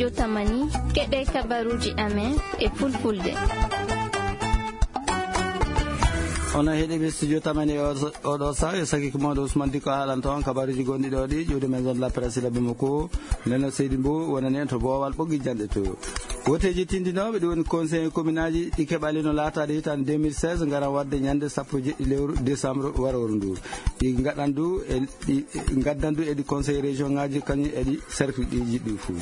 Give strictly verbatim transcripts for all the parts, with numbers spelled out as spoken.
Yo tamani, keɗe kabaruji amen e fulfulde. Onon heɗiɓe studio tamani e oɗo saha, e sakiko moɗo Ousmane Diko haalanta on kabaruji gonɗi ɗo ɗi ƴuwde maison de la presse labbi mo ko neno seydi mbo wonani en to boowal ɓoggi janɗe to. Woteeji tindinooɓe ɗi woni conseil communaaji ɗi keɓali no laataade hitaande deux mille seize ngaran waɗde ñande sappo e jeɗɗi lewru décembre waroru ndu. Ɗi ngaɗan du e ɗi ngaddan du e ɗi conseil région ngaji kañum e ɗi cercle ɗi jiɗɗi fuu.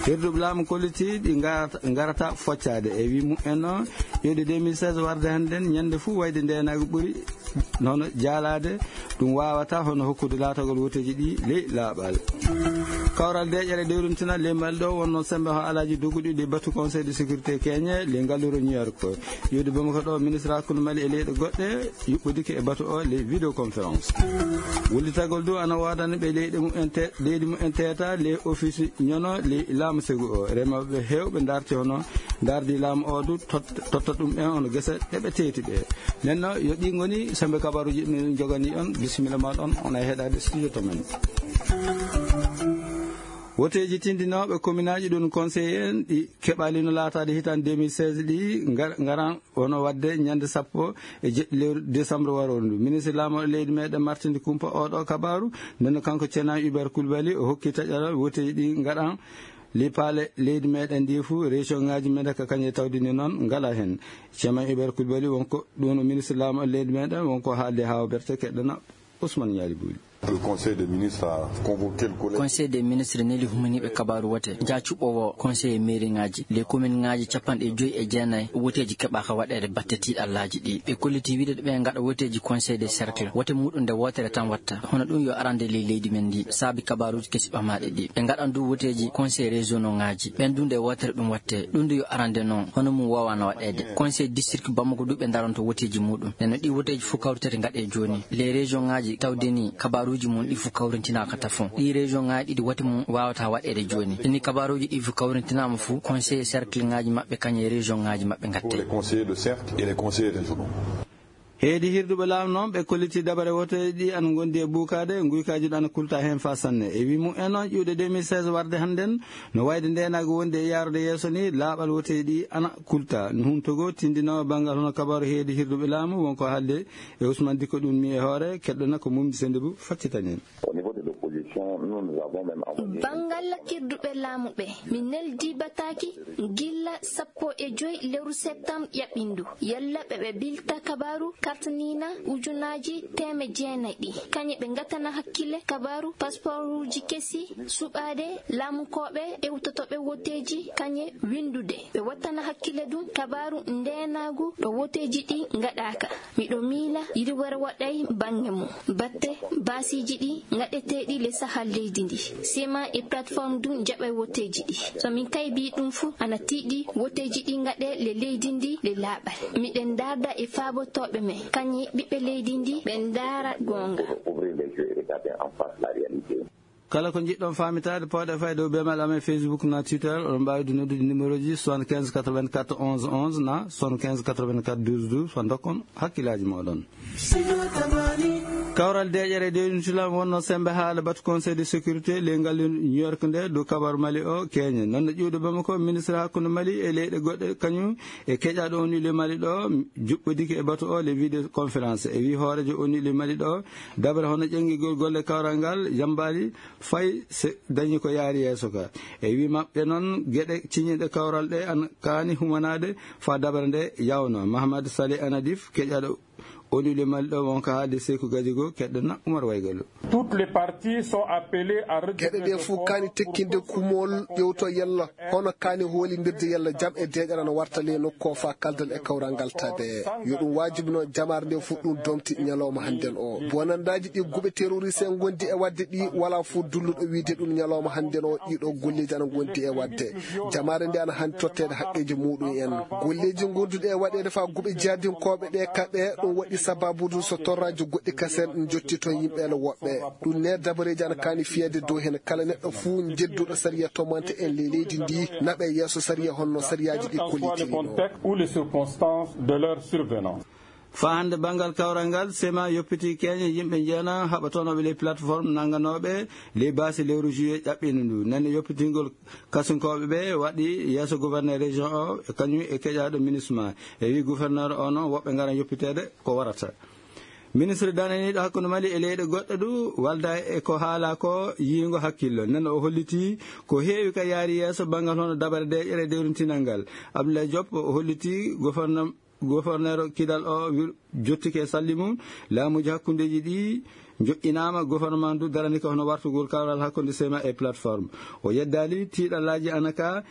Hirduɓe laamu kolliti ɗi ngarata ngarata foccaade e wi mumen o ƴewde deux mille seize warde hannden ñande fuu wayde ndeenaagu ɓuri nono jaalaade. Ɗum waawata hono hokkude laatagol woteeji ɗi ley laaɓal. Kawral deeƴere dewrintina ley mali ɗo wonno sembe ho alaaji doguɗi ɗi batu conseil de sécurité keñe ley ngalluro new york. Ƴewde bamako ɗo ministre hakkunde mali e leyɗe goɗɗe yuɓɓodike e batu o ley vidéoconférence. Wullitagol du ana waadani ɓe leyɗe mumen te leydi mumen teeta ley office ñono ley laamu segu o remooɓe heewɓe darti hono dardi laamu o du totta ɗum en hono gese ɗeɓe teeti ɓe. Nenno yo ɗi ngoni sembe kabaruji ɗum jogani on bisimilla ma ɗon on ay heɗade studio to men. Woteeji tindinooɓe kominaaji ɗum conseil en ɗi keɓalino laataade hitaande deux mille seize ɗi ngaran wono waɗde ñande sappo e jeɗɗi lewru décembre waroru ndu ministre laamooɗo leydi meɗen martinde kumpa oɗo kabaru. Ndenno kanko cena hubert kulbali o hokki taƴaral woteeji ɗi ngaɗan lipaale leydi meɗen ndi fuu région ngaji meɗen ka kañe tawdini noon ngala heen. Cena hubert kulbali wonko ɗum o ministre laamooɗo leydi meɗen wonko haalde haa o berte keɗɗana. Ousmane ñaali buuli. Conseil des ministres neli humaniiɓe kabaaru wote nja cuɓɓowo conseil mairie ngaji les commune ngaji capanɗe joyi e jeenayi woteeji keɓaaka waɗeede batte tiiɗallaaji ɗi ɓe kolliti wiide ɓe ngaɗa woteeji conseil des cercle wote muɗum nde wootere tan watta hono ɗum yo arande ley leydi men ndi saabi kabaaruuji kesi ɓamaaɗi ɗi ɓe ngaɗan du woteeji conseil régionaux ngaji ɓen du nde wootere ɗum watte ɗum du yo arande noon hono mum woowaano waɗeede conseil district bamako du ɓe ndaranto woteeji muɗum nde no ɗi woteeji fof kawritete ngaɗe jooni les région ngaji tawde ni kabaruuji mum ɗi fof kawrintinaaka tafon ɗi région ngaji ɗiɗi wote mum waawata waɗeede jooni ɗini kabaruuji ɗi fof kawrintinaama fof conseil cercle ngaji maɓɓe kañum e région ngaji maɓɓe ngatte. Heedi hirduɓe laamu noon ɓe kolliti dabare woteeji ɗi ana ngondi e buukaade nguykaaji ɗi ana kulta heen faa sanne e wi mum en on ƴuuɗe deux mille seize warde hannden no wayde ndeenaagu wondi e yaarude yeeso ni laaɓal woteeji ɗi ana kulta huntogo tindinoowo banngal hono kabaru heedi hirduɓe laamu wonko haalde e usman dikko ɗum mi e hoore keɗɗona ko mumdi sendibu faccitanen. Banngal hirduɓe laamu ɓe mi neldi bataaki gilla sappo e joy lewru septembre ƴaɓɓindu yalla ɓe ɓe bilta kabaru kartaniina ujunaaji teeme jeenayi ɗi kañe ɓe ngatana hakkille kabaru pasporuuji kesi suɓaade laamunkooɓe ewtotooɓe woteeji kañe winndude ɓe wattana hakkille ɗum kabaru ndeenaagu ɗo woteeji ɗi ngaɗaaka. Miɗo miila yiɗi wara waɗay bannge mum batte baasiiji ɗi ngaɗeteeɗi le sahal leydi ndi sema e plateforme du jaɓay woteeji ɗi so min kaybi ɗum fuu ana tiiɗi woteeji ɗi ngaɗe le leydi ndi le laaɓal miɗen ndaarda e faabotooɓe men kañe ɓiɓɓe leydi ndi ɓe ndaara goonga. Kala ko njiɗɗon faamitaade pawɗe fay dow bemal amen facebook na twitter oɗon mbaawi du noddude numéro ji soixante-quinze quatre-vingt-quatre onze onze na soixante-quinze quatre-vingt-quatre douze douze fa dokkon hakkillaaji mooɗon. Kawral deeƴere dewintilam wonno sembe haala batu conseil de sécurité ley ngal new york nde dow kabaru mali o keñe noon no ƴuwde bamako ministre hakkunde mali e leyɗe goɗɗe kañum e keƴaɗo on ile mali ɗo juɓɓodike e batu o le vidéo conférence e wi hoorejo on ile mali ɗo dabre hono ƴenngigol golle kawral ngal yambaali fay se dañi ko yaari yeeso ka e wi maɓɓe noon geɗe ciñiɗe kawral ɗe ana kaani humanaade fa dabre nde yawno mahamad sali anadif keƴaɗo on ile mali ɗo wonko haalde seyku gadigo keɗɗo na umar waygalo. Toutes les parties sont appelées à geɗe ɗe fof kaani tekkinde kumol ƴewto yalla hono kaani hoolindirde yalla jam e deeƴere no warta ley nokku o faa kaldal e kawral ngal tabe yo ɗum waajibino jamaare nde fof ɗum domti ñalawma hannden o bonandaaji ɗi guɓe terroriste en ngondi e waɗde ɗi walaa fof dulluɗo wiyde ɗum ñalawma hannden o ɗiɗo golleeji ana ngondi e waɗde jamaare nde ana haani totteede haqqeeji muɗum en golleeji ngonduɗi e waɗeede faa guɓe jihadinkooɓe ɗe kaɓe ɗum waɗi sababude so torraaji goɗɗi kasen njotti toon yimɓe ele woɓɓe ɗum ne dabareeji ana kaani fiyeede dow heen kala neɗɗo fuu njedduɗo sariya tomante en ley leydi ndi naɓe yeeso sariya honno sariyaaji ɗi kollitiri ɗo. Faa hannde banngal kawral ngal, sema yoppitii keeñe yimɓe njeena haɓatonooɓe ley plateforme nannganooɓe ley baasi lewru juillet ƴaɓɓiino ndu. Nani yoppitingol kasunkooɓe ɓe waɗi yeeso gouverneur région o, kañum e keƴaaɗo MINUSMA. E wii gouverneur o noon, woɓɓe ngaran yoppiteede ko warata. Ministre dananiiɗo hakkunde Mali e leyɗe goɗɗe du walda e ko haala ko yiingo hakkillo. Nden o hollitii ko heewi ka yaari yeeso banngal hono dabare deeƴere dewrintinal ngal. Abdoulaye Diop o hollitii gouverneur, gouverneur Kidal o wir-, jottike salli mum. Laamuuji hakkundeeji ɗi joƴƴinaama, gouvernement du darani ka hono wartugol kawral hakkunde sema e plateforme. O yeddaali tiiɗallaaji ana ka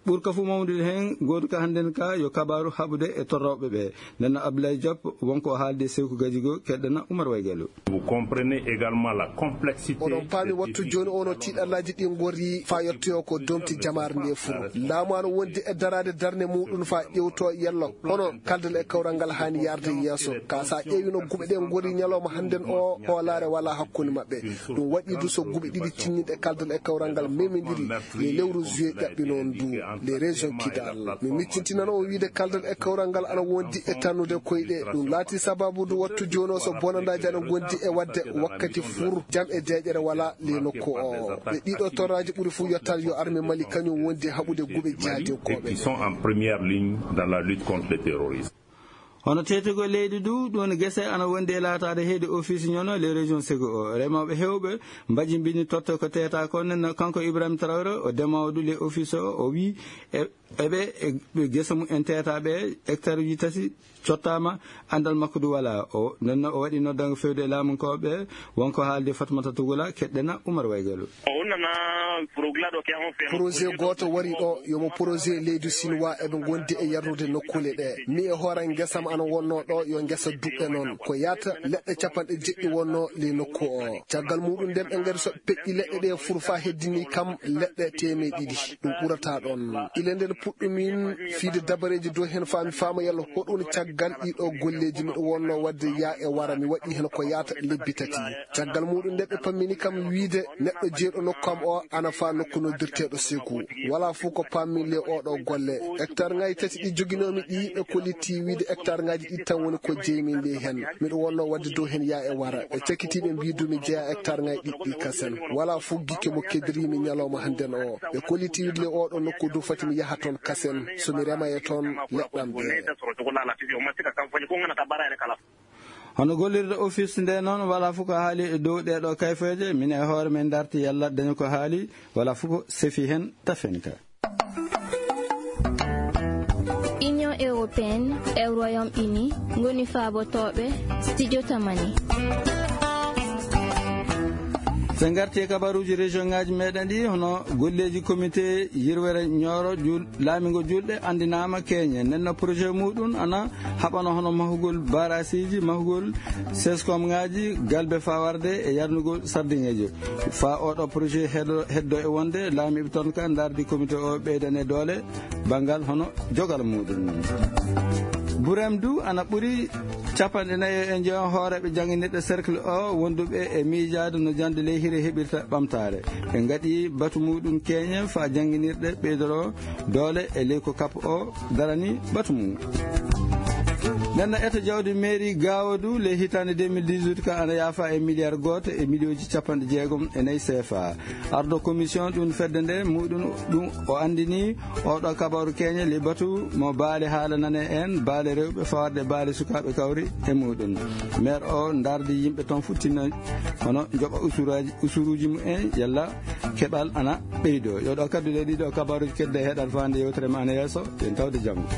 ɓurka fu mawnude heen, gooduka hannden ka yo kabaaru haɓude e torrooɓe ɓe. Nden no Abdoulaye Diop wonko o haalde Sewku Gajigo, keɗɗana Oumar Waygalo. Vous comprenez également la complexité. Oɗon paami wattu jooni o no tiiɗallaaji ɗi ngori faa yottoyoo ko domti jamaare nde fuu. Laamu ana wondi e daraade darnde muɗum faa ƴewtoo yello hono kaldal e kawral ngal haani yaarde yeeso. Ka sa ƴeewi no guɓe ɗe ngori ñalawma hannden o, hoolaare walaa hakkunde maɓɓe. Ɗum waɗi du so guɓe ɗiɗi tinniiɗe kaldal e kawral ngal memindiri le lewru juillet ƴaɓɓinoo ndu le région Kidal. Mi miccintinano o wiide kaldal e kawral ngal ana wondi e tannude koyɗe. Ɗum laati sababu du wattu jooni o so bonandaaji ana ngondi e waɗde wakkati fur jam e deeƴere wala le nokku o. Ɓe ɗiɗo torraaji ɓuri fuu yottaade yo armée Mali kañum wondi haɓude guɓe jihadinkooɓe. Qui sont en première ligne dans la lutte contre le terrorisme. Hono teetugol leydi du, ɗum woni gese ana wondi e laataade heedi office ñono les régions Ségou o. Remooɓe heewɓe mbajimbini totte ko teeta ko, nden no kanko Ibrahima Traoré, o demoowo du les office o, o wii e, eɓe, e, ɓe gese mum en teetaaɓe hectare uji tati cottaama, anndal makko du wala. O, nden no o waɗi noddango fewde e laamunkooɓe, wonko haalde Fatmata Tugula, keɗɗena Oumar Waygalo. O wonnana projet ɗo ke on fe. Projet gooto wari ɗo, yomo projet leydi Sinwaa eɓe ngondi e yarnude nokkuule ɗe. Mi e hoore ngesam ana wonno ɗo, yo ngesa duɓɓe noon. Ko yaata leɗɗe capanɗe jeɗɗi wonno ley nokku o. Caggal muɗum nden ɓe ngari so peƴƴi leɗɗe ɗe fur faa heddini kam leɗɗe teemeɗe ɗiɗi. Ɗum ɓurata ɗon. Ile nden puɗɗumin fiide dabareeji dow hen faa mi faama yalla hoɗum caggal ɗiɗo golleeji miɗo wonno wadde yaa e wara mi waɗi hen ko yaata lebbi tati. Caggal muɗum nde ɓe pammini kam wiide neɗɗo jeeɗo nokku am o ana faa nokku noddirteeɗo Seku. Walaa fof ko pammi le oɗo golle. Hectare ngaji tati ɗi joginoomi ɗi ɓe kollitti wiide hectare ngaji ɗi tan woni ko jeymi le hen. Miɗo wonno wadde dow hen yaa e wara. Ɓe cakkiti ɓe mbi dumi jeya hectare ngaji ɗiɗɗi kasen. Walaa fof gikke mo keddirimi ñalawma hannden o. Ɓe kollitti wiide le oɗo nokku du fati mi yaha toon kasen. So mi rema e toon leɗɗam ɓe. Hono gollirde office nde noon, walaa fof ko haali e dow ɗee ɗoo kayfeeje, min e hoore men ndarti yalla dañi ko haali, walaa fof ko sefi heen tafen ka. Union européenne e Royaume-Uni ngoni faabotooɓe Studio Tamani. So en ngarti e kabaruuji région ngaaji meɗen ɗi, hono golleeji comité yirwere Nioro jul-, laamingo julɗe anndinaama keeñe. Nden no projet muɗum ana haɓano hono mahugol barasiiji, mahugol seskomŋaaji, galbe fawarde e yarnugol sardiŋeeji. Faa oɗo projet heddo, heddo e wonde, laamiiɓe toon ka ndardi comité o ɓeydane doole banngal hono jogal muɗum. Burem du ana ɓuri capanɗe nayi e njeyo hooreeɓe jannginirɗe cercle o wonduɓe e miijaade no jannde ley hire heɓirta ɓamtaare. Ɓe ngaɗi batu muɗum keeñe faa jannginirɗe ɓeydoro doole e ley ko kap o darani batu mum. Nden no eto jawdi mairie Gaawo du ley hitaande deux mille dix-huit ka ana yaafa e miliyar gooto e miliyooji capanɗe jeegom e nayi C F A. Ardo commission ɗum fedde nde muɗum ɗum o anndini oɗo kabaru keeñe ley batu mo baale haala nane en, baale rewɓe fawarde baale sukaaɓe kawri e muɗum. Maire o ndardi yimɓe toon fof tinno hono njoɓa usuraaji, usuruuji mum en yalla keɓal ana ɓeydo. Yo ɗo kaddu ɗe ɗiɗo kabaruuji kedde heɗan faande yewtere ma ana yeeso, en tawde janngo.